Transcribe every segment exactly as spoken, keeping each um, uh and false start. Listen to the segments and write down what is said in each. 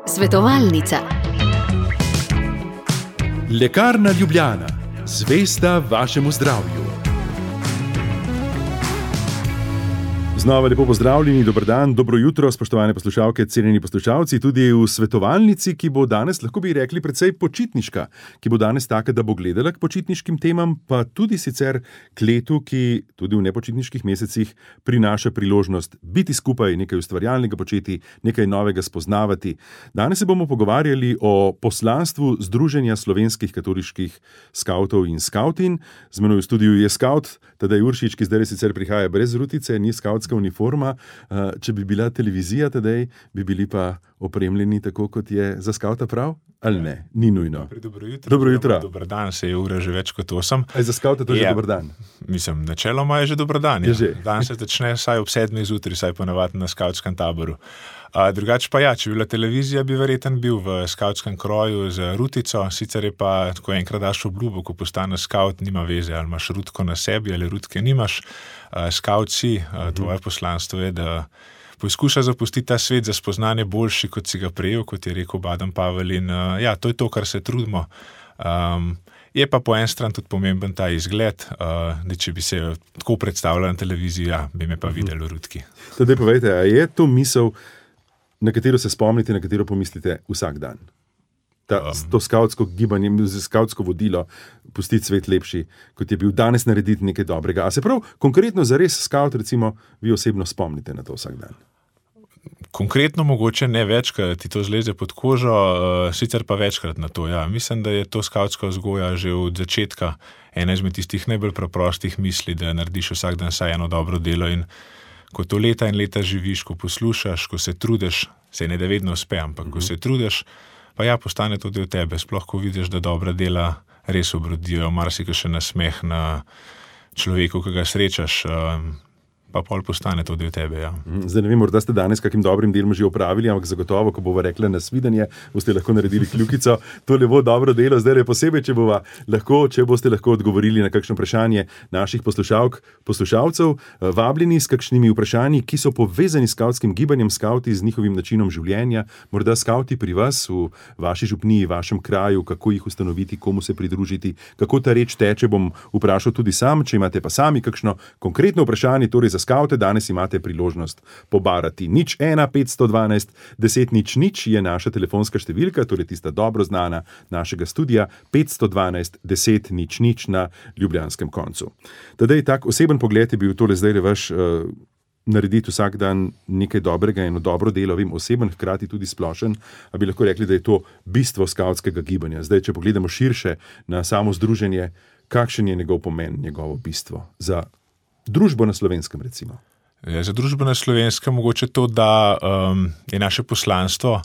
Svetovalnica. Lekarna Ljubljana, zvesta vašemu zdravju. Znova lepo pozdravljeni, dober dan, dobro jutro, spoštovane poslušalke, cenjeni poslušalci, tudi v svetovalnici, ki bo danes, lahko bi rekli, precej počitniška, ki bo danes taka, da bo gledala k počitniškim temam, pa tudi sicer k letu, ki tudi v nepočitniških mesecih prinaša priložnost biti skupaj, nekaj ustvarjalnega početi, nekaj novega spoznavati. Danes se bomo pogovarjali o poslanstvu Združenja slovenskih katoliških skavtov in skavtin. Z menoj v studiu je skavt Tadej Uršič, ki zdaj sicer prihaja brez rutice, ni skavtska uniforma. Če bi bila televizija tedaj, bi bili pa opremljeni tako, kot je za skavta prav? Ali ne? Ni nujno. Dobro jutro. Dobro jutro. Dobar dan, se je ura že več kot osem. Aj za skavta to je Ja. že dober dan. Mislim, načeloma je že dober dan. Je Ja. že. Dan se začne vsaj ob sedmih zjutraj, vsaj ponavadi na skavtskem taboru. A, drugače pa ja, če bi bila televizija, bi verjetno bil v skavtskem kroju z rutico, sicer je pa, ko enkrat daš obljubo, ko postaneš skavt, nima veze, ali imaš rutko na sebi, ali rutke nimaš. A, skavt si, a, tvoje poslanstvo je, da poskuša zapustiti ta svet za spoznanje boljši, kot si ga prejel, kot je rekel Baden Pavel, in a, ja, to je to, kar se trudimo. Um, je pa po en stran tudi pomemben ta izgled, uh, da če bi se tako predstavljal na televiziji, ja, bi me pa videli v rutki. Tadej povejte, a je to misel, na katero se spomnite, na katero pomislite vsak dan? Ta, Um. to skavtsko gibanje, skavtsko vodilo, pustiti svet lepši, kot je bil danes, narediti nekaj dobrega. A se prav konkretno zares skavt, recimo, vi osebno spomnite na to vsak dan? Konkretno mogoče ne več, ker ti to zleze pod kožo, uh, sicer pa večkrat na to. Ja. Mislim, da je to skavtska vzgoja že od začetka ena izmed tistih najbolj preprostih misli, da narediš vsak dan vsaj eno dobro delo, in ko to leta in leta živiš, ko poslušaš, ko se trudiš, se ne da vedno uspe, ampak ko se trudiš, pa ja, postane to del tebe, sploh ko vidiš, da dobra dela res obrodijo, marsikaj še nasmeh na človeku, ki ga srečaš, uh, pa pol postane to del tebe, ja. Zdaj ne vem, morda ste danes kakim dobrim delom že opravili, ampak zagotovo, ko bova rekla nasvidenje, boste lahko naredili kljukico. To je lepo dobro delo, zdaj je posebej, če bova lahko, če boste lahko odgovorili na kakšno vprašanje naših poslušalk, poslušalcev, vabljeni s kakšnimi vprašanji, ki so povezani s skavtskim gibanjem, skavti z njihovim načinom življenja, morda skavti pri vas, v vaši župniji, vašem kraju, kako jih ustanoviti, komu se pridružiti, kako ta reč teče, bom vprašal tudi sam, če imate pa sami kakšno konkretno vprašanje, torej za skavte, danes imate priložnost pobarati. Nič ena, petsto dvanajst, deset nič nič je naša telefonska številka, torej tista dobro znana našega studija, petsto dvanajst, deset nič nič na ljubljanskem koncu. Tadej, tak oseben pogled je bil tole zdaj vaš, uh, narediti vsak dan nekaj dobrega, eno dobro delo, vem, oseben, hkrati tudi splošen, a bi lahko rekli, da je to bistvo skavtskega gibanja. Zdaj, če pogledamo širše na samo združenje, kakšen je njegov pomen, njegovo bistvo za družbo na Slovenskem, recimo? Ja, za družbo na Slovenskem mogoče to, da um, je naše poslanstvo,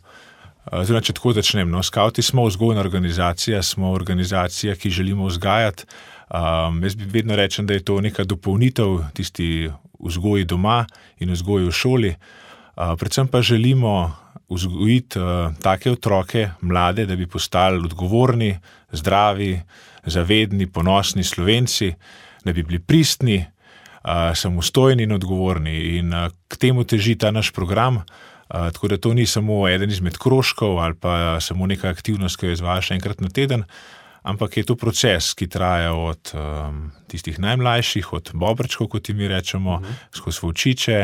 oziroma če tako začnem, no, skavti smo vzgojna organizacija, smo organizacija, ki želimo vzgajati. Um, jaz bi vedno rečem, da je to neka dopolnitev tisti vzgoji doma in vzgoji v šoli. Uh, predvsem pa želimo vzgojiti uh, take otroke, mlade, da bi postali odgovorni, zdravi, zavedni, ponosni Slovenci, da bi bili pristni, Uh, samostojni in odgovorni, in uh, k temu teži ta naš program, uh, tako da to ni samo eden izmed krožkov ali pa samo neka aktivnost, ki jo izvajaš enkrat na teden, ampak je to proces, ki traja od um, tistih najmlajših, od bobrčkov, kot mi rečemo, uh-huh. skozi volčiče,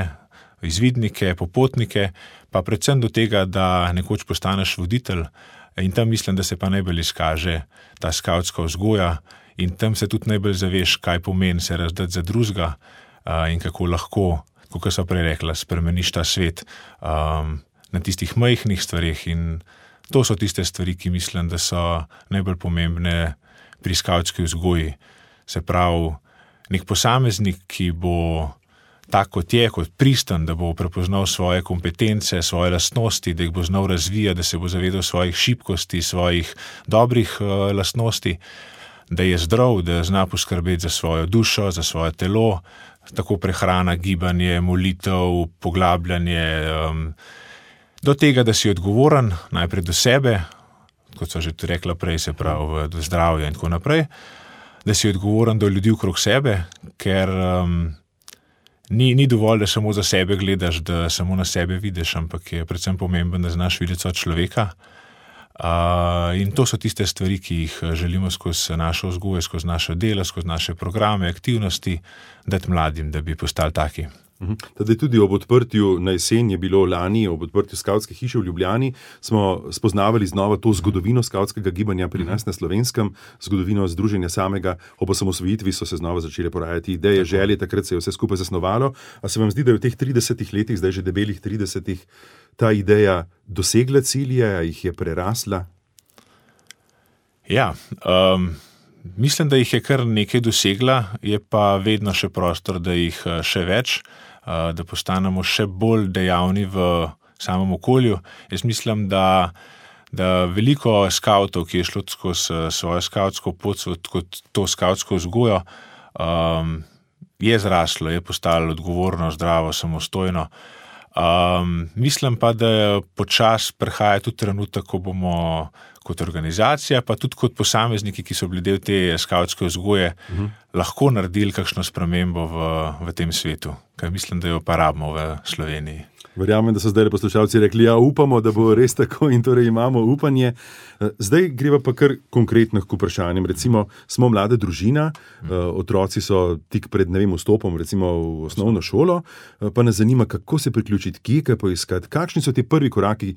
izvidnike, popotnike, pa predvsem do tega, da nekoč postaneš voditelj, in tam mislim, da se pa najbolj izkaže ta skavtska vzgoja. In tam se tudi najbolj zaveš, kaj pomeni se razdati za drugega uh, in kako lahko, kot so prej rekla, spremeniš ta svet um, na tistih majhnih stvarih. In to so tiste stvari, ki mislim, da so najbolj pomembne pri skavtski vzgoji. Se pravi, nek posameznik, ki bo tak, kot je, kot pristen, da bo prepoznal svoje kompetence, svoje lastnosti, da jih bo znal razvijati, da se bo zavedal svojih šibkosti, svojih dobrih uh, lastnosti, da je zdrav, da zna poskrbeti za svojo dušo, za svoje telo, tako prehrana, gibanje, molitev, poglabljanje, um, do tega, da si odgovoren najprej do sebe, kot so že rekla prej, se pravi do zdravja in tako naprej, da si odgovoren do ljudi okrog sebe, ker um, ni, ni dovolj, da samo za sebe gledaš, da samo na sebe vidiš, ampak je predvsem pomembno, da znaš videti od človeka. Uh, in to so tiste stvari, ki jih želimo skozi našo vzgojo, skozi naše delo, skozi naše programe, aktivnosti, dati mladim, da bi postali taki. Tudi, tudi ob odprtju na jesen je bilo lani, ob odprtju skavtske hiše v Ljubljani, smo spoznavali znova to zgodovino skavtskega gibanja pri nas na Slovenskem, zgodovino združenja samega. Ob osamosvojitvi so se znova začele porajati ideje, želje, takrat se je vse skupaj zasnovalo. A se vam zdi, da je v teh tridesetih letih, zdaj že debelih tridesetih, ta ideja dosegla cilje, a jih je prerasla? Ja, um, mislim, da jih je kar nekaj dosegla, je pa vedno še prostor, da jih še več, da postanemo še bolj dejavni v samem okolju. Jaz mislim, da, da veliko skavtov, ki je šlo skozi svojo skavtsko pot, kot to skavtsko vzgojo, um, je zraslo, je postalo odgovorno, zdravo, samostojno. Um, mislim pa, da počas prihaja tudi trenutek, ko bomo kot organizacija, pa tudi kot posamezniki, ki so bili del te skavtske vzgoje, uh-huh. lahko naredili kakšno spremembo v, v tem svetu, ker mislim, da jo pa rabimo v Sloveniji. Verjamem, da so zdaj poslušalci rekli, ja, upamo, da bo res tako in torej imamo upanje. Zdaj greva pa kar konkretno k vprašanjem. Recimo, smo mlada družina, otroci so tik pred, ne vem, vstopom recimo v osnovno šolo, pa nas zanima, kako se priključiti, kje kaj poiskati, kakšni so ti prvi koraki,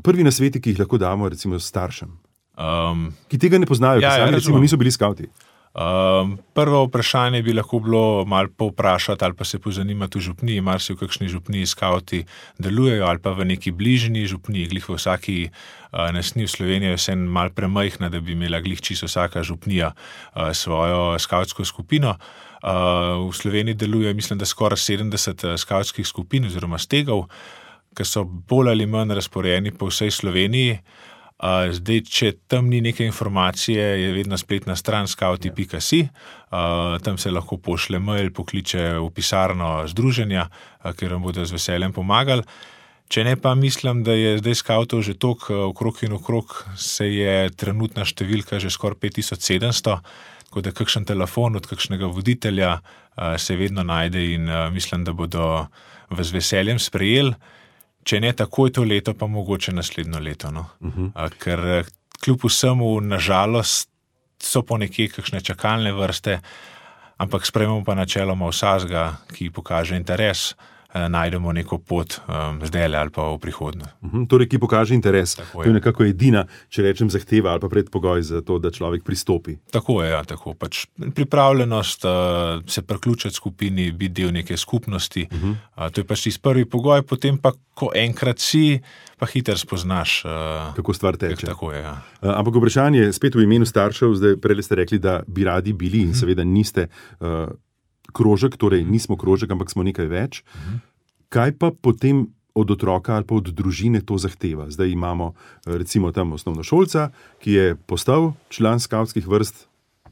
prvi nasveti, ki jih lahko damo recimo staršem, um, ki tega ne poznajo, ja, ki sami ja, recimo niso bili skavti. Um, prvo vprašanje bi lahko bilo malo povprašati ali pa se pozanimati v župniji, mar si v kakšni župniji skavti delujejo ali pa v neki bližnji župniji, glih v vsaki uh, nasni v Sloveniji je vse malo premajhna, da bi imela glih čisto vsaka župnija uh, svojo skavtsko skupino. Uh, v Sloveniji deluje, mislim, da skoraj sedemdeset skavtskih skupin oziroma stegov, ki so bolj ali manj razporejeni po vsej Sloveniji. Uh, zdaj, če tam ni neke informacije, je vedno spletna stran skavti pika si, uh, tam se lahko pošle mail, pokliče v pisarno združenja, uh, ker vam bodo z veseljem pomagali. Če ne, pa mislim, da je zdaj skavtov že toliko okrog in okrog, se je trenutna številka že skoraj pet tisoč sedemsto, tako da kakšen telefon od kakšnega voditelja uh, se vedno najde in uh, mislim, da bodo vas z veseljem sprejeli. Če ne takoj to leto, pa mogoče naslednjo leto. No? Uh-huh. Ker kljub vsemu, nažalost, so po nekje kakšne čakalne vrste, ampak sprejmemo pa načeloma vsazga, ki pokaže interes, najdemo neko pot um, zdajle ali pa v prihodnje. Uh-huh. Torej, ki pokaže interes. Tako to je nekako edina, če rečem, zahteva ali pa predpogoj za to, da človek pristopi. Tako je, ja, tako. Pač pripravljenost uh, se priključiti skupini, biti del neke skupnosti. Uh-huh. Uh, to je pač tisti prvi pogoj, potem pa, ko enkrat si, pa hiter spoznaš. Uh, kako stvar teče. Tako je, ja. Uh, ampak vprašanje spet v imenu staršev, zdaj prej ste rekli, da bi radi bili in uh-huh. seveda niste uh, krožek, torej nismo krožek, ampak smo nekaj več. Uh-huh. Kaj pa potem od otroka ali pa od družine to zahteva? Zdaj imamo recimo tam osnovnošolca, ki je postal član skavtskih vrst,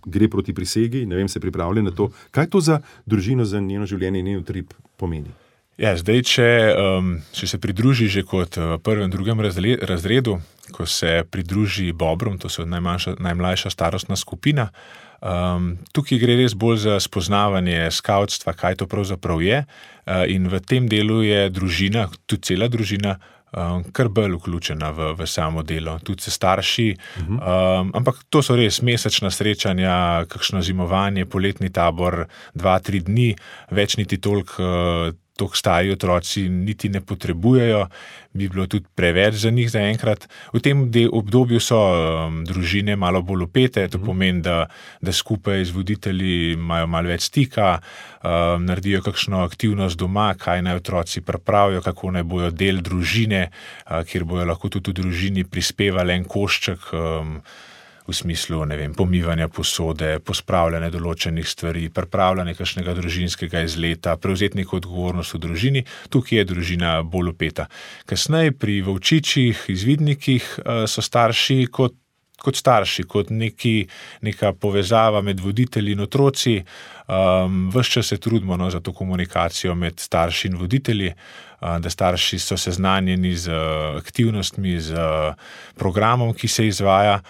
gre proti prisegi, ne vem, se pripravlja na to. Kaj to za družino, za njeno življenje in njen utrip pomeni? Ja, zdaj, če, um, če se pridruži že kot v prvem, drugem razredu, ko se pridruži Bobrom, to so najmanjša, najmlajša starostna skupina, um, tukaj gre res bolj za spoznavanje skavtstva, kaj to pravzaprav je, uh, in v tem delu je družina, tudi cela družina, um, kar bolj vključena v, v samo delo, tudi se starši, uh-huh. um, ampak to so res mesečna srečanja, kakšno zimovanje, poletni tabor, dva, tri dni, več niti toliko uh, toliko stari otroci niti ne potrebujejo, bi bilo tudi preveč za njih zaenkrat. V tem obdobju so um, družine malo bolj upete, to pomeni, da, da skupaj z voditelji imajo malo več stika, um, naredijo kakšno aktivnost doma, kaj naj otroci pripravijo, kako naj bojo del družine, uh, kjer bojo lahko tudi v družini prispevali en košček, um, v smislu, ne vem, pomivanja posode, pospravljanja določenih stvari, pripravljanja kakšnega družinskega izleta, prevzeti neko odgovornost v družini, tukaj je družina bolj upeta. Kasneje pri volčičih, izvidnikih so starši kot, kot starši, kot neki, neka povezava med voditelji in otroci. Um, ves čas se trudimo no, za to komunikacijo med starši in voditelji, uh, da starši so seznanjeni z uh, aktivnostmi, z uh, programom, ki se izvaja.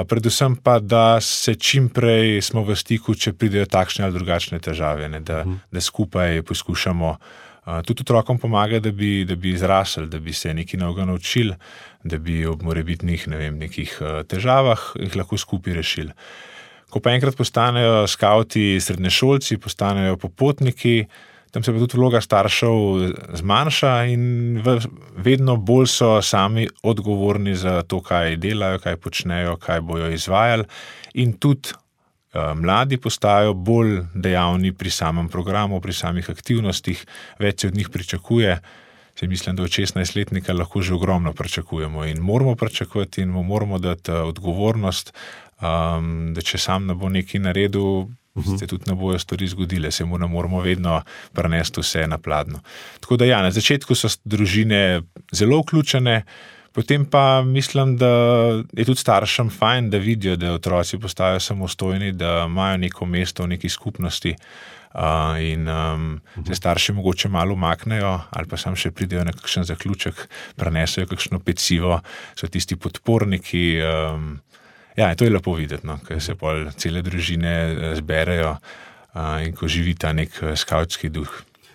predvsem pa, da se čim prej smo v stiku, če pridejo takšne ali drugačne težave, ne, da, uh-huh. da skupaj poskušamo uh, tudi otrokom pomagati, da bi, da bi izrasli, da bi se nekaj novega naučili, da bi ob morebitnih, ne vem, nekih uh, težavah jih lahko skupaj rešili. Ko pa enkrat postanejo skavti srednješolci, postanejo popotniki, tam se pa tudi vloga staršev zmanjša in vedno bolj so sami odgovorni za to, kaj delajo, kaj počnejo, kaj bojo izvajali in tudi uh, mladi postajajo bolj dejavni pri samem programu, pri samih aktivnostih, več se od njih pričakuje. Se mislim, da od šestnajstletnika lahko že ogromno pričakujemo in moramo pričakovati in mu moramo dati odgovornost, um, da če sam ne bo nekaj naredil, uh-huh. se tudi ne bojo stvari zgodile, se mu ne moramo vedno prenesti vse na pladnjo. Tako da ja, na začetku so družine zelo vključene, potem pa mislim, da je tudi staršem fajn, da vidijo, da otroci postajajo samostojni, da imajo neko mesto v neki skupnosti. Uh, in um, se starši mogoče malo umaknejo ali pa sam še pridejo na kakšen zaključek, prenesejo kakšno pecivo, so tisti podporniki. Um, ja, to je lepo videti, no, ker se pol cele družine zberejo uh, in ko živi ta nek skavtski duh.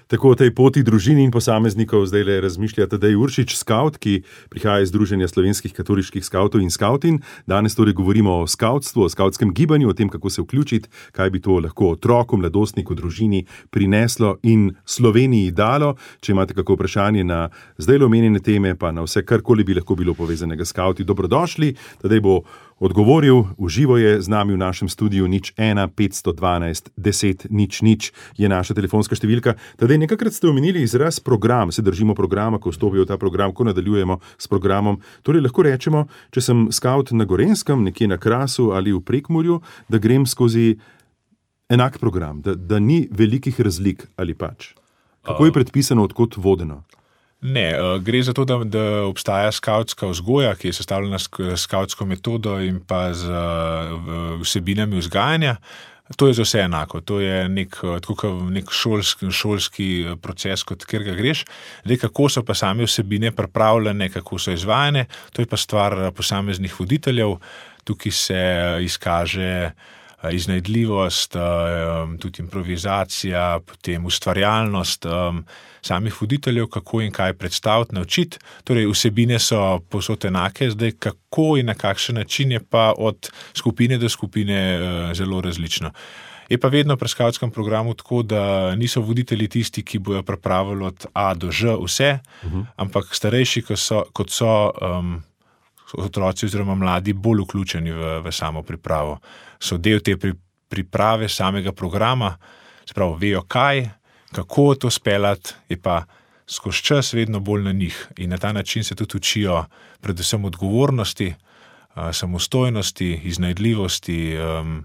Tako o tej poti družini in posameznikov zdaj le razmišlja Tadej Uršič, skavt, ki prihaja iz Združenja slovenskih katoliških skavtov in skavtin. Danes torej govorimo o skavtstvu, o skavtskem gibanju, o tem, kako se vključiti, kaj bi to lahko otroku, mladostniku, družini prineslo in Sloveniji dalo. Če imate kako vprašanje na zdaj le omenjene teme, pa na vse karkoli bi lahko bilo povezanega s skavti, dobrodošli. Tadej bo odgovoril, uživo je z nami v našem studiu nič ena petsto dvanajst deset nič nič je naša telefonska številka. Tadej, nekakrat ste omenili izraz program, se držimo programa, ko vstopijo v ta program, ko nadaljujemo s programom. Torej lahko rečemo, če sem skavt na Gorenskem, nekje na Krasu ali v Prekmurju, da grem skozi enak program, da, da ni velikih razlik ali pač. Kako je predpisano, odkot vodeno? Ne, gre za to, da, da obstaja skavtska vzgoja, ki je sestavljena s skavtsko metodo in pa z vsebinami vzgajanja. To je za vse enako. To je nek, tako nek šolski, šolski proces, kot kjer ga greš. Zdaj, kako so pa same vsebine pripravljene, kako so izvajane, to je pa stvar posameznih voditeljev. Tukaj se izkaže iznajdljivost, tudi improvizacija, potem ustvarjalnost samih voditeljev, kako in kaj predstaviti, naučiti. Torej, vsebine so povsod enake, zdaj kako in na kakšen način je pa od skupine do skupine zelo različno. Je pa vedno pri skavtskem programu tako, da niso voditelji tisti, ki bojo pripravili od A do Ž vse, uh-huh. ampak starejši, kot so, kot so um, otroci oziroma mladi bolj vključeni v, v samo pripravo. So del te pri, priprave samega programa, se pravi, vejo kaj, kako to speljati, je pa skozi čas vedno bolj na njih. In na ta način se tudi učijo predvsem odgovornosti, samostojnosti, iznajdljivosti um,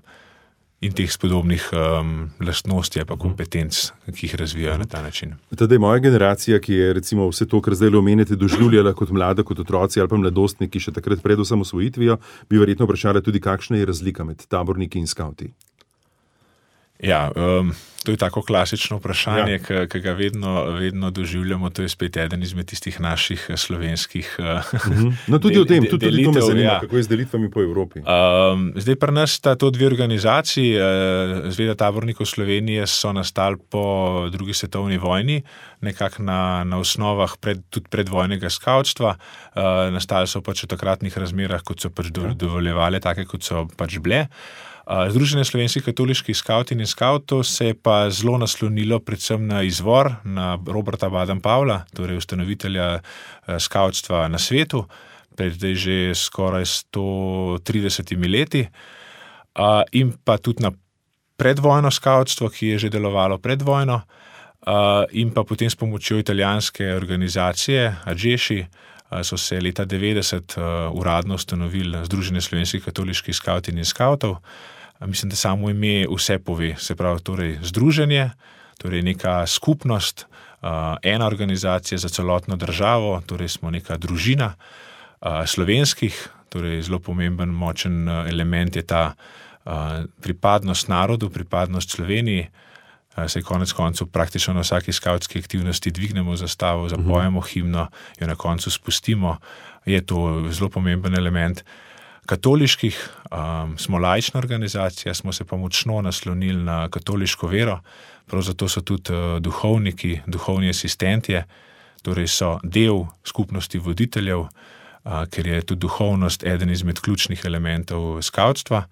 in teh spodobnih um, lastnosti pa kompetenc, ki jih razvijajo na ta način. Tadej, moja generacija, ki je recimo vse to, kar zdaj omenjate, doživljala kot mlada, kot otroci ali pa mladostniki, še takrat pred osamosvojitvijo, bi verjetno vprašala tudi, kakšna je razlika med taborniki in skavti. Ja, um, to je tako klasično vprašanje, ja. ki ga vedno, vedno doživljamo. To je spet eden izmed tistih naših slovenskih uh-huh. No tudi del, o tem, tudi, delitev, tudi to me zanima, ja. Kako je z delitvami po Evropi. Um, zdaj pri nas sta to dve organizaciji. Zveza tabornikov Slovenije so nastali po drugi svetovni vojni, nekako na, na osnovah pred, tudi predvojnega skavtstva. Uh, nastali so pač v takratnih razmerah, kot so pač do, dovoljevali, take kot so pač bile. Združenje slovenskih katoliških skavtin in skavtov se je pa zelo naslonilo predvsem na izvor, na Roberta Baden-Powella, torej ustanovitelja skavtstva na svetu, pred zdaj že skoraj sto tridesetimi leti, in pa tudi na predvojno skavtstvo, ki je že delovalo pred vojno, in pa potem s pomočjo italijanske organizacije Adžeši so se leta devetdeset uradno ustanovili Združenje slovenskih katoliških skavtin in skavtov. Mislim, da samo ime vse pove, se pravi torej združenje, torej neka skupnost, ena organizacija za celotno državo, torej smo neka družina slovenskih, torej zelo pomemben, močen element je ta pripadnost narodu, pripadnost Sloveniji. Se konec koncev praktično na vsaki skavtski aktivnosti dvignemo zastavo, zapojemo himno, jo na koncu spustimo. Je to zelo pomemben element. katoliških, um, smo laična organizacija, smo se pa močno naslonili na katoliško vero, prav zato so tudi uh, duhovniki, duhovni asistentje, torej so del skupnosti voditeljev, uh, ker je tudi duhovnost eden izmed ključnih elementov skavtstva.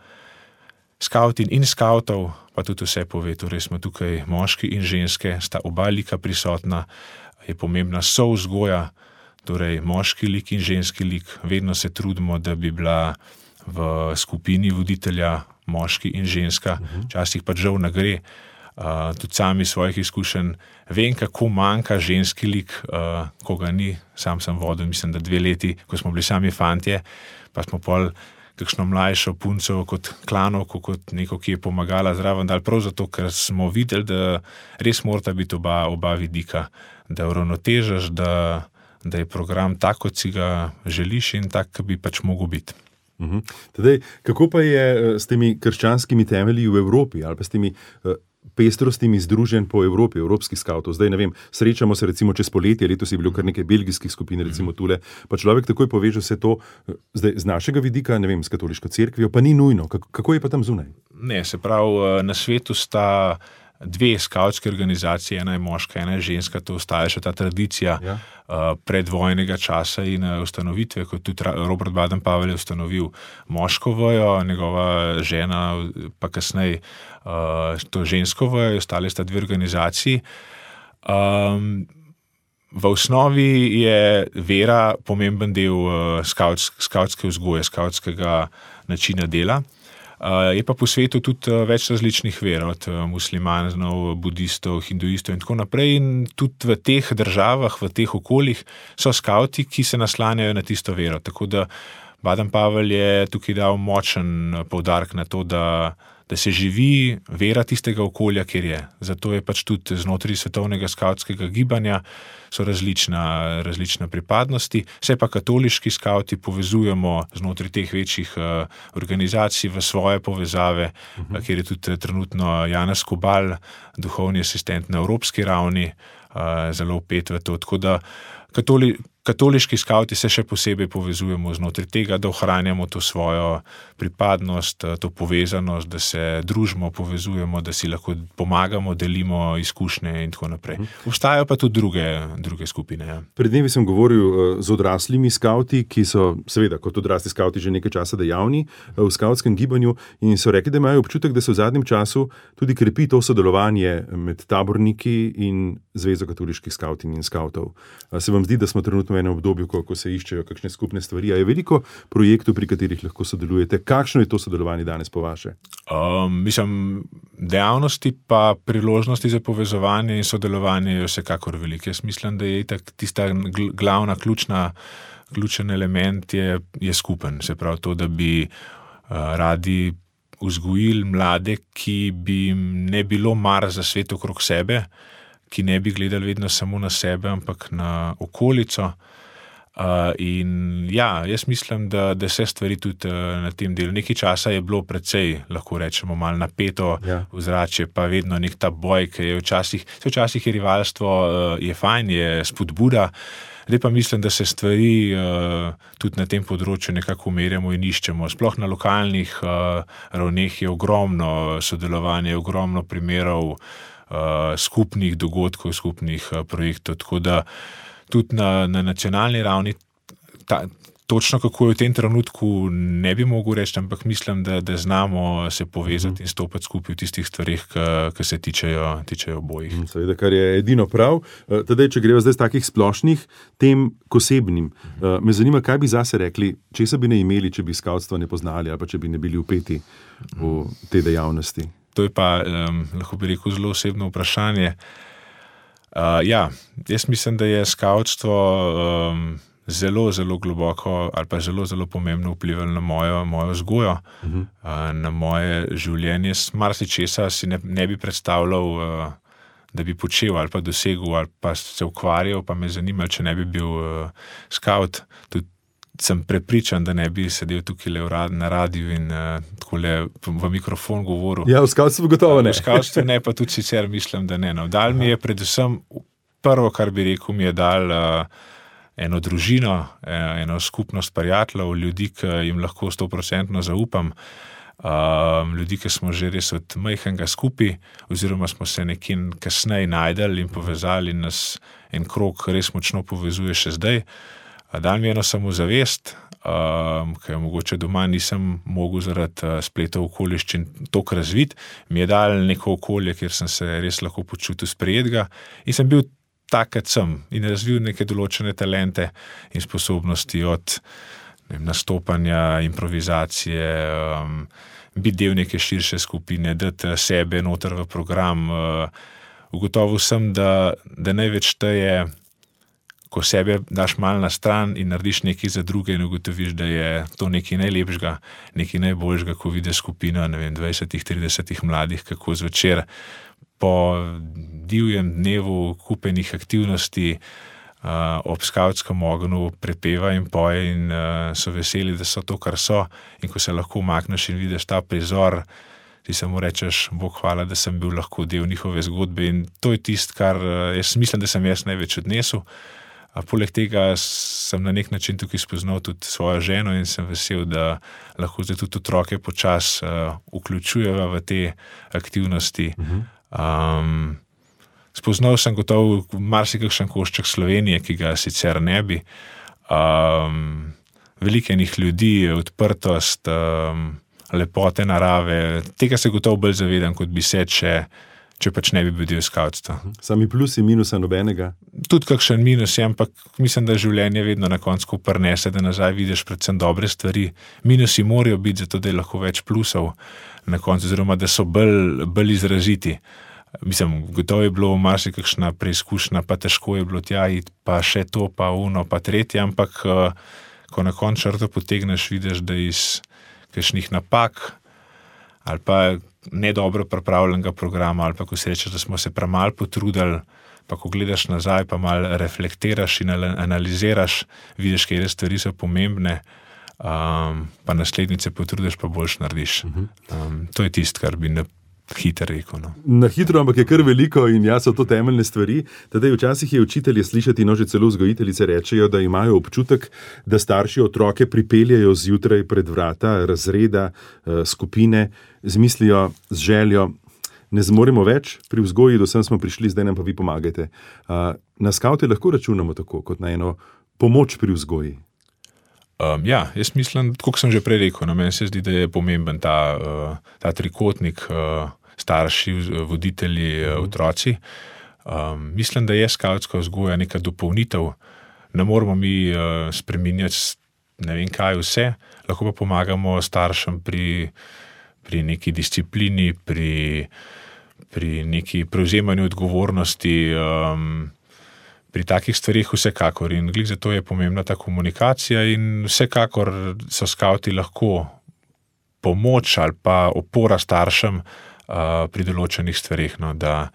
Skavtin in skavtov pa tudi vse pove, torej smo tukaj moški in ženske, sta oba lika prisotna, je pomembna souzgoja, torej moški lik in ženski lik, vedno se trudimo, da bi bila v skupini voditelja moški in ženska, včasih pa žal ne gre. Uh, tudi sami svojih izkušenj vem, kako manjka ženski lik, uh, ko ga ni, sam sem vodil, mislim, da dve leti, ko smo bili sami fantje, pa smo pol kakšno mlajšo punco kot klanovko, kot neko, ki je pomagala zraven, dal prav zato, ker smo videli, da res morata biti oba, oba vidika, da uravnotežaš, da, da je program tak, kot si ga želiš in tak, ki bi pač mogel biti. Uhum. Tadej, kako pa je s temi krščanskimi temelji v Evropi ali pa s temi uh, pestrostimi združenj po Evropi, evropskih skavtov? Zdaj, ne vem, srečamo se recimo čez poletje, letos je bilo kar nekaj belgijskih skupin, recimo tule, pa človek takoj poveže vse to, zdaj, z našega vidika, ne vem, s katoliško cerkvijo, pa ni nujno. Kako, kako je pa tam zunaj? Ne, se pravi, na svetu sta dve skavtske organizacije, ena je moška, ena je ženska, to ostaja še ta tradicija ja. uh, predvojnega časa in uh, ustanovitve, kot tudi Robert Baden-Powell je ustanovil moško vejo, njegova žena pa kasneje uh, to žensko vejo, ostale sta dve organizaciji. Um, v osnovi je vera pomemben del uh, skavts, skavtske vzgoje, skavtskega načina dela. Uh, je pa po svetu tudi uh, več različnih ver, od uh, muslimanov, budistov, hinduistov in tako naprej. In tudi v teh državah, v teh okoljih so skavti, ki se naslanjajo na tisto vero. Tako da Baden-Powell je tukaj dal močen poudarek na to, da, da se živi vera tistega okolja, kjer je. Zato je pač tudi znotraj svetovnega skavtskega gibanja so različna, različna pripadnosti. Vse pa katoliški skavti povezujemo znotraj teh večjih uh, organizacij v svoje povezave, uh-huh. kjer je tudi trenutno Janez Kobal, duhovni asistent na evropski ravni, uh, zelo vpet v to. Tako da katoli, katoliški skavti se še posebej povezujemo znotraj tega, da ohranjamo to svojo pripadnost, to povezanost, da se družimo, povezujemo, da si lahko pomagamo, delimo izkušnje in tako naprej. Obstajajo pa tudi druge, druge skupine. Ja. Pred dnevi sem govoril z odraslimi skavti, ki so seveda kot odrasli skavti že nekaj časa dejavni v skavtskem gibanju in so rekli, da imajo občutek, da se v zadnjem času tudi krepi to sodelovanje med taborniki in Zvezo katoliških skavtin in skavtov. Se vam zdi, da smo trenutno v enem obdobju, ko, ko se iščejo kakšne skupne stvari? A je veliko projektov, pri katerih lahko sodelujete? Kakšno je to sodelovanje danes po vaše? Um, mislim, dejavnosti pa priložnosti za povezovanje in sodelovanje je vsekakor veliko. Jaz mislim, da je itak tista glavna, ključna, ključen element je, je skupen. Se pravi to, da bi uh, radi vzgojili mlade, ki bi jim ne bilo mar za svet okrog sebe, ki ne bi gledali vedno samo na sebe, ampak na okolico. Uh, in ja, jaz mislim, da, da se stvari tudi uh, na tem delu. Nekaj časa je bilo precej, lahko rečemo, malo napeto ja. Vzračje, pa vedno nek ta boj, ki je včasih, včasih je rivalstvo, uh, je fajn, je spodbuda. Zdaj pa mislim, da se stvari uh, tudi na tem področju nekako umerjamo in iščemo. Sploh na lokalnih uh, ravneh je ogromno sodelovanja, ogromno primerov Uh, skupnih dogodkov, skupnih uh, projektov, tako da tudi na, na nacionalni ravni ta, točno kako je v tem trenutku ne bi mogel reči, ampak mislim, da, da znamo se povezati mm. in stopiti skupaj v tistih stvarih, ki se tičejo, tičejo obojih. Mm, seveda, kar je edino prav. Tadej, če greva zdaj z takih splošnih tem k osebnim, mm. uh, me zanima, kaj bi zase rekli, česa bi ne imeli, če bi skavtstvo ne poznali ali pa če bi ne bili vpeti mm. v te dejavnosti. To je pa, um, lahko bi rekel, zelo osebno vprašanje. Uh, ja, jaz mislim, da je skavtstvo um, zelo, zelo globoko ali pa zelo, zelo pomembno vplivalo na mojo, mojo vzgojo, uh-huh. uh, na moje življenje. Marsičesa si ne, ne bi predstavljal, uh, da bi počel ali pa dosegel ali pa se ukvarjal, pa me zanimalo, če ne bi bil uh, skavt. Tudi sem prepričan, da ne bi sedel tukaj na radiju in uh, takole v mikrofon govoril. Ja, v skavtstvu gotovo ne. V skavtstvu ne, pa tudi sicer mislim, da ne. No. Dal mi je predvsem, prvo, kar bi rekel, mi je dal uh, eno družino, eno skupnost prijateljev, ljudi, ki jim lahko sto procentno zaupam, um, ljudi, ki smo že res od majhnega skupaj, oziroma smo se nekje kasneje najdeli in povezali in nas en krog res močno povezuje še zdaj. Dan mi eno samozavest, um, ki jo mogoče doma nisem mogel zaradi uh, spletov okoliščin toliko razviti, mi je dal neko okolje, kjer sem se res lahko počutil sprejetega in sem bil tak, kot sem in razvil neke določene talente in sposobnosti od ne vem, nastopanja, improvizacije, um, biti del neke širše skupine, dati sebe noter v program. Uh, ugotovil sem, da, da največ šteje, ko sebe daš malo na stran in narediš nekaj za druge in ugotoviš, da je to nekaj najlepšega, nekaj najboljšega, ko vidiš skupino, ne vem, dvajsetih, tridesetih mladih, kako zvečer po divjem dnevu kupenih aktivnosti uh, ob skavtskem ognju prepeva in poje in uh, so veseli, da so to, kar so, in ko se lahko umakneš in vidiš ta prizor, ti samo rečeš, Bog hvala, da sem bil lahko del njihove zgodbe in to je tisto, kar uh, jaz mislim, da sem jaz največ odnesel. A poleg tega sem na nek način tukaj spoznal tudi svojo ženo in sem vesel, da lahko zdaj tudi otroke počas uh, vključujeva v te aktivnosti. Um, spoznal sem gotovo marsikakšen košček Slovenije, ki ga sicer ne bi. Um, veliko enih ljudi, odprtost, um, lepote narave, tega se gotovo bolj zavedam, kot bi se, če če pač ne bi bil del skavtstva. Sami plusi, minusa nobenega? Tudi kakšen minus je, ampak mislim, da življenje vedno na koncu prinese, da nazaj vidiš predvsem dobre stvari. Minusi morajo biti, zato da je lahko več plusov na koncu, oziroma da so bolj, bolj izraziti. Mislim, gotovo je bilo marsikakšna preizkušnja, pa težko je bilo tja iti, pa še to, pa uno, pa tretje, ampak ko na koncu črto potegneš, vidiš, da iz kakšnih napak ali pa nedobro pripravljenega programa, ali pa ko si rečeš, da smo se premalo potrudili, pa ko gledaš nazaj, pa malo reflektiraš in analiziraš, vidiš, katere stvari so pomembne, um, pa naslednjice potrudiš, pa boljš narediš. Um, to je tisto, kar bi na hitro rekel. No. Na hitro, ampak je kar veliko in ja, so to temeljne stvari. Tadej, včasih je učitelje slišati, no že celo vzgojiteljice rečejo, da imajo občutek, da starši otroke pripeljajo zjutraj pred vrata razreda, skupine, z mislijo, z željo, ne zmoremo več, pri vzgoji do sem smo prišli, zdaj nam pa vi pomagajte. Na skavte lahko računamo tako, kot na eno pomoč pri vzgoji. Um, ja, jaz mislim, kot sem že prej rekel, no, meni se zdi, da je pomemben ta, uh, ta trikotnik uh, starši, voditelji, uh, otroci. Um, mislim, da je skavtska vzgoja neka dopolnitev. Ne moramo mi uh, spreminjati ne vem kaj vse, lahko pa pomagamo staršem pri pri neki disciplini, pri, pri neki prevzemanju odgovornosti, um, pri takih stvarih vsekakor. In glih zato je pomembna ta komunikacija in vsekakor so skavti lahko pomoč ali pa opora staršem uh, pri določenih stvarih. No, da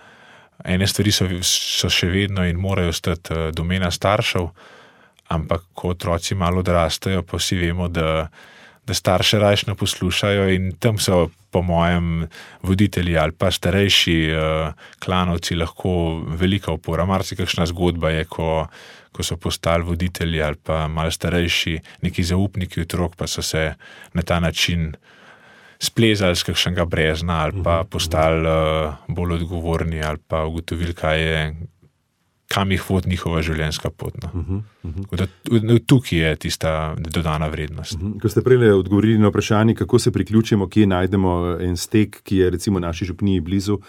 ene stvari so, so še vedno in morajo stati uh, domena staršev, ampak ko otroci malo odrastejo, pa vsi vemo, da da starše rajš ne poslušajo in tam so po mojem voditelji ali pa starejši uh, klanovci lahko velika opora. Marsikakšna zgodba je, ko, ko so postali voditelji ali pa malo starejši, neki zaupniki otrok, pa so se na ta način splezali z kakšnega brezna ali pa postali uh, bolj odgovorni ali pa ugotovili, kaj je, kam jih vodi njihova življenjska pot. No. Uh-huh, uh-huh. Da, tukaj je tista dodana vrednost. Uh-huh. Ko ste prej odgovorili na vprašanje, kako se priključimo, kje najdemo en stek, ki je recimo naši župniji blizu,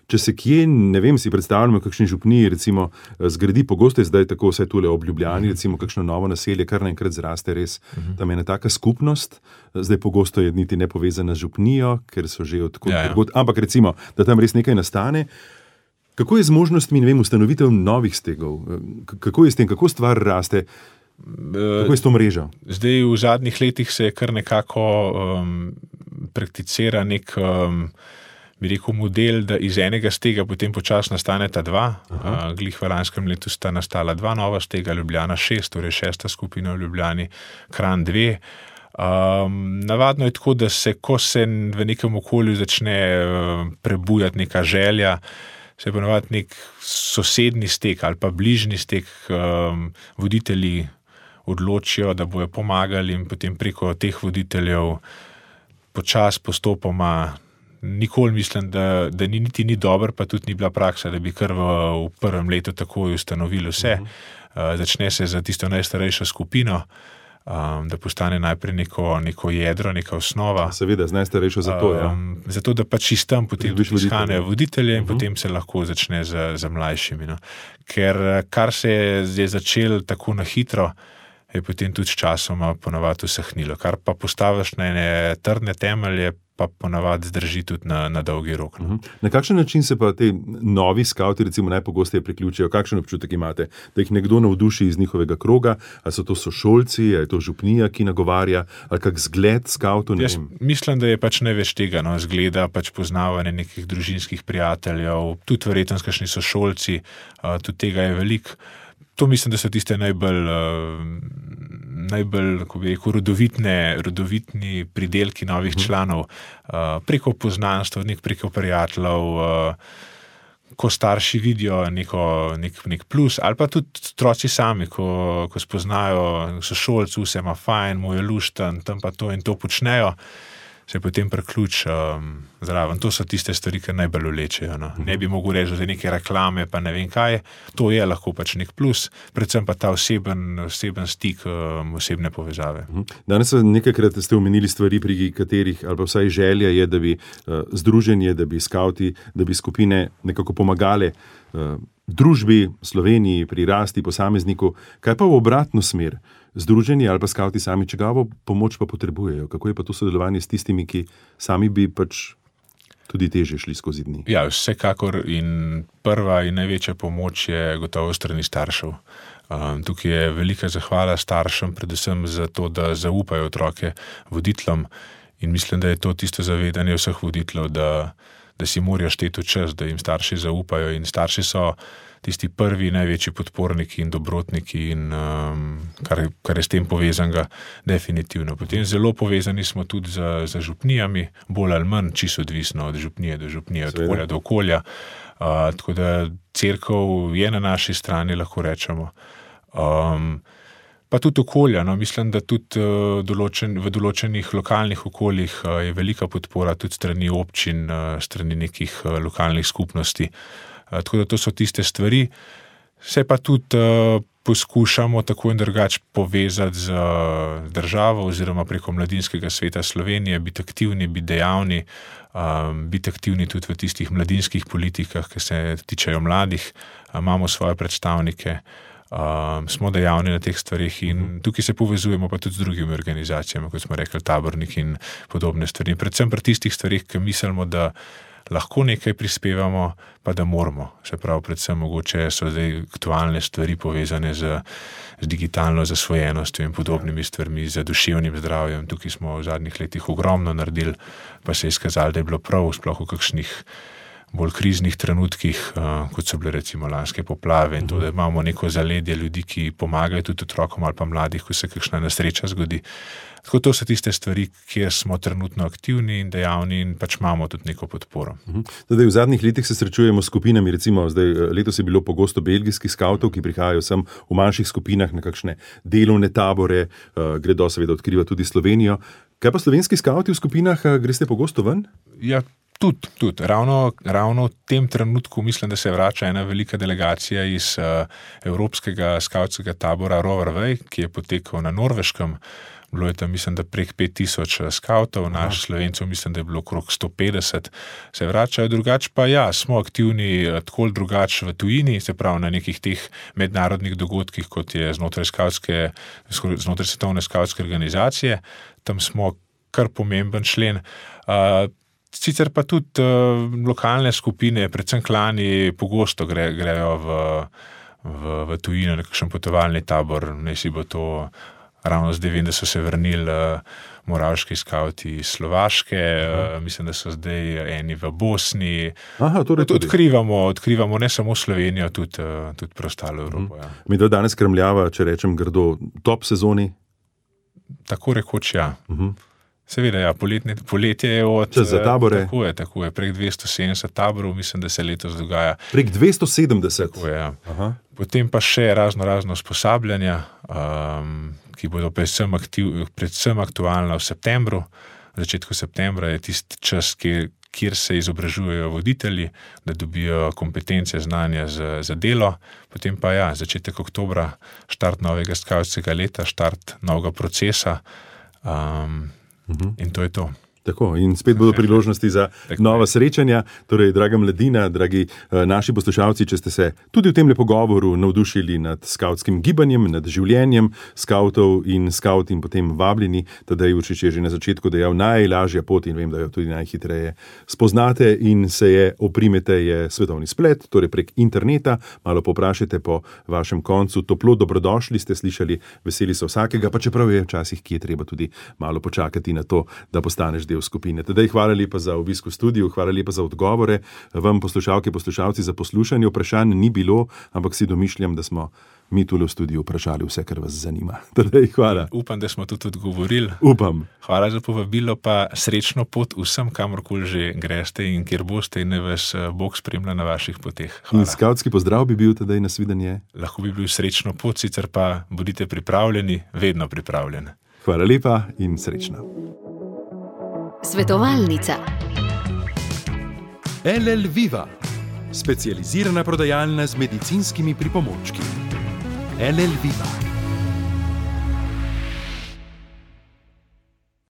če se kje, ne vem, si predstavljamo, kakšni župniji recimo zgradi, pogosto je zdaj tako vse tule ob Ljubljani, uh-huh. recimo kakšno novo naselje, kar naenkrat zraste res, uh-huh. tam je ena taka skupnost, zdaj pogosto je niti nepovezana z župnijo, ker so že odkot, ja, ja. Odkot, ampak recimo, da tam res nekaj nastane. Kako je z možnostmi, ne vem, ustanovitev novih stegov? Kako je s tem, kako stvar raste? Kako je s to mrežo? Zdaj v zadnjih letih se je kar nekako um, prakticira nek, um, bi rekel, model, da iz enega stega potem počasno nastaneta dva. Uh, glih v lanskem letu sta nastala dva nova stega, Ljubljana šest, torej šesta skupina v Ljubljani, Kranj dve. Um, navadno je tako, da se, ko se v nekem okolju začne uh, prebujati neka želja, se je ponovadi nek sosedni stek ali pa bližnji stek, um, voditelji odločijo, da bojo pomagali in potem preko teh voditeljev počas postopoma. Nikoli mislim, da, da ni niti ni dobro, pa tudi ni bila praksa, da bi kar v, v prvem letu takoj ustanovili vse. Uh, začne se za tisto najstarejšo skupino, um, da postane najprej neko, neko jedro, neka osnova. Seveda, z najstarejšo zato, ja. Um, zato, da pač iz tam potem izhanejo voditelje in uh-huh. potem se lahko začne za, za mlajšimi. No. Ker kar se je začelo tako na hitro, je potem tudi s časoma ponavadi usahnilo. Kar pa postaviš na ene trdne temelje, pa ponavadi zdrži tudi na, na dolgi rok. Uh-huh. Na kakšen način se pa te novi skauti recimo najpogosteje priključijo? Kakšen občutek imate? Da jih nekdo navduši iz njihovega kroga? Ali so to sošolci, ali je to župnija, ki nagovarja, ali kak zgled skautov? Jaz mislim, da je pač največ tega, no, zgleda, pač poznavanje nekih družinskih prijateljev, tudi verjetno kakšni sošolci, uh, tudi tega je veliko. To mislim, da so tiste najbolj, uh, najbolj ko bi rekel, rodovitne, rodovitni pridelki novih uh-huh. članov, uh, preko poznanstv, nek preko prijateljev, uh, ko starši vidijo neko, nek, nek plus, ali pa tudi otroci sami, ko, ko spoznajo, so šolci, vse ima fajn, mu je lušten, tam pa to in to počnejo, se potem preključ um, zraven. To so tiste stvari, ki najbolj vlečejo. No. Ne bi mogel reči, da je neke reklame, pa ne vem kaj. To je lahko pač nek plus, predvsem pa ta oseben, oseben stik, um, osebne povezave. Danes nekajkrat ste omenili stvari, pri katerih, ali pa vsaj želja je, da bi uh, združenje, da bi skauti, da bi skupine nekako pomagale uh, družbi, Sloveniji, pri rasti posamezniku. Kaj pa v obratno smer? Združenje ali pa skauti sami čigavo pomoč pa potrebujejo? Kako je pa to sodelovanje s tistimi, ki sami bi pač tudi težje šli skozi dni? Ja, vsekakor in prva in največja pomoč je gotovo strani staršev. Um, tukaj je velika zahvala staršem, predvsem za to, da zaupajo otroke voditeljem in mislim, da je to tisto zavedanje vseh voditeljev, da, da si morajo šteti čas, da jim starši zaupajo in starši so tisti prvi največji podporniki in dobrotniki in um, kar, kar je s tem povezanega definitivno. Potem zelo povezani smo tudi z, z župnijami, bolj ali manj, čisto odvisno od župnije do župnije, od okolja do okolja. Uh, tako da cerkev je na naši strani, lahko rečemo. Um, pa tudi okolja, no, mislim, da tudi uh, določen, v določenih lokalnih okoljih uh, je velika podpora tudi strani občin, uh, strani nekih uh, lokalnih skupnosti. Tako da to so tiste stvari. Se pa tudi uh, poskušamo tako in drugače povezati z uh, državo oziroma preko Mladinskega sveta Slovenije, biti aktivni, biti dejavni, um, biti aktivni tudi v tistih mladinskih politikah, ki se tičejo mladih. Uh, imamo svoje predstavnike, um, smo dejavni na teh stvarih in tukaj se povezujemo pa tudi z drugimi organizacijami, kot smo rekli, tabornik in podobne stvari. Predvsem pri tistih stvarih, ki mislimo, da lahko nekaj prispevamo, pa da moramo. Se pravi, predvsem mogoče so zdaj aktualne stvari povezane z, z digitalno zasvojenostjo in podobnimi stvarmi, z duševnim zdravjem. Tukaj smo v zadnjih letih ogromno naredili, pa se je izkazalo, da je bilo prav sploh v kakšnih bolj kriznih trenutkih, uh, kot so bile recimo lanske poplave in to, da imamo neko zaledje ljudi, ki pomagajo tudi otrokom ali pa mladih, ko se kakšna nesreča zgodi. Tako to so tiste stvari, kjer smo trenutno aktivni in dejavni in pač imamo tudi neko podporo. Zdaj, v zadnjih letih se srečujemo s skupinami, recimo zdaj, letos je bilo pogosto belgijskih skavtov, ki prihajajo sem v manjših skupinah na kakšne delovne tabore, uh, gredo seveda odkriva tudi Slovenijo. Kaj pa slovenski skavti v skupinah, uh, greste pogosto ven? Ja, Tudi, tudi. Ravno, ravno v tem trenutku mislim, da se vrača ena velika delegacija iz uh, Evropskega skavtskega tabora Rover Way, ki je potekal na Norveškem. Bilo je tam, mislim, da prek pet tisoč skavtov, naš Slovencov mislim, da je bilo okrog sto petdeset. Se vračajo, drugače pa ja, smo aktivni tako drugače v tujini, se pravi na nekih teh mednarodnih dogodkih, kot je znotraj skavtske, znotraj svetovne skavtske organizacije. Tam smo kar pomemben člen. Uh, Sicer pa tudi uh, lokalne skupine, predvsem klani, pogosto gre, grejo v, v, v tujino, na kakšen potovalni tabor. Ne si bo to, ravno zdaj vem, da so se vrnili uh, moravški skavti iz Slovaške, uh, mislim, da so zdaj eni v Bosni. Aha, torej tudi. Odkrivamo, odkrivamo ne samo Slovenijo, tudi, uh, tudi preostalo Evropo. Ja. Mi da danes kremljava, če rečem grdo, top sezoni? Tako rekoč, ja. Uh-huh. Seveda, ja, poletne, poletje je od... Čas za tabore. Tako je, tako je. Prek dvesto sedemdeset taborov, mislim, da se letos dogaja. Prek dvesto sedemdeset? Tako je, ja. Aha. Potem pa še razno razno usposabljanja, um, ki bodo predvsem, aktiv, predvsem aktualna v septembru. V začetku septembra je tisti čas, kjer, kjer se izobražujejo voditelji, da dobijo kompetence, znanja za, za delo. Potem pa ja, začetek oktobra, štart novega skavtskega leta, štart novega procesa. Um, Uh-huh. In to je to. Tako, in spet bodo priložnosti za Tako nova je. srečanja. Torej, draga mladina, dragi uh, naši poslušalci, če ste se tudi v tem pogovoru navdušili nad skavtskim gibanjem, nad življenjem skavtov in skavt in potem vabljeni, Tadej Jurčič je že na začetku dejal, najlažja pot in vem, da jo tudi najhitreje spoznate in se je oprimete, je svetovni splet, torej prek interneta, malo poprašajte po vašem koncu, toplo dobrodošli ste slišali, veseli so vsakega, pa čeprav je včasih, ki je treba tudi malo počakati na to, da postaneš del skupine. Tadej, hvala lepa za obisk v studiu, hvala lepa za odgovore. Vam, poslušalke, poslušalci, za poslušanje. Vprašanj ni bilo, ampak si domišljam, da smo mi tule v studiu vprašali vse, kar vas zanima. Tadej, hvala. Upam, da smo tudi odgovorili. Upam. Hvala za povabilo, pa srečno pot vsem, kamorkoli že greste in kjer boste in ne vas Bog spremlja na vaših poteh. Hvala. In skavtski pozdrav bi bil Tadej, nasvidenje. Lahko bi bil srečno pot, sicer pa bodite pripravljeni, vedno pripravljeni. Hvala lepa in srečno. Svetovalnica. L L Viva, specializirana prodajalna z medicinskimi pripomočki. L L Viva.